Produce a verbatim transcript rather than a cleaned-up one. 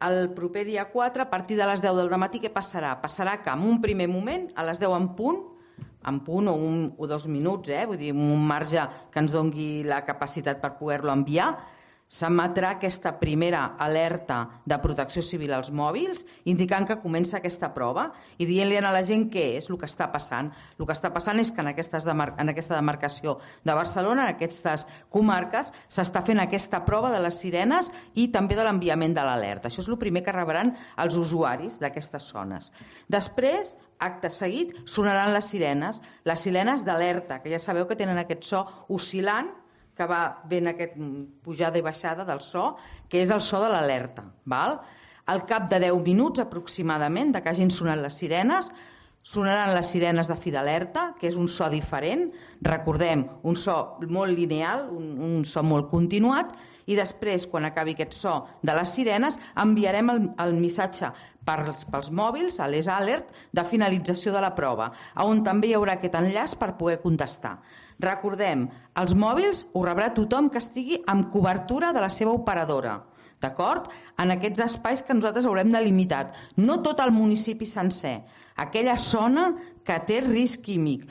El proper dia quatre, a partir de les deu del matí, què passarà? Passarà que en un primer moment, a les deu en punt, en punt o un o dos minuts, eh? Vull dir, un marge que ens doni la capacitat per poder-lo enviar, s'emetrà aquesta primera alerta de protecció civil als mòbils, indicant que comença aquesta prova i dient-li a la gent què és el que està passant. El que està passant és que en, demar en aquesta demarcació de Barcelona, en aquestes comarques, s'està fent aquesta prova de les sirenes i també de l'enviament de l'alerta. Això és el primer que rebran els usuaris d'aquestes zones. Després, acte seguit, sonaran les sirenes, les sirenes d'alerta, que ja sabeu que tenen aquest so oscil·lant, que va ben aquest pujada i baixada del so, que és el so de l'alerta. Al cap de deu minuts aproximadament de que hagin sonat les sirenes, sonaran les sirenes de fi d'alerta, que és un so diferent, recordem, un so molt lineal, un, un so molt continuat, i després, quan acabi aquest so de les sirenes, enviarem el, el missatge pels, pels mòbils, a les alert, de finalització de la prova, on també hi haurà aquest enllaç per poder contestar. Recordem, els mòbils ho rebrà tothom que estigui amb cobertura de la seva operadora, d'acord? En aquests espais que nosaltres haurem delimitat. No tot el municipi sencer, aquella zona que té risc químic.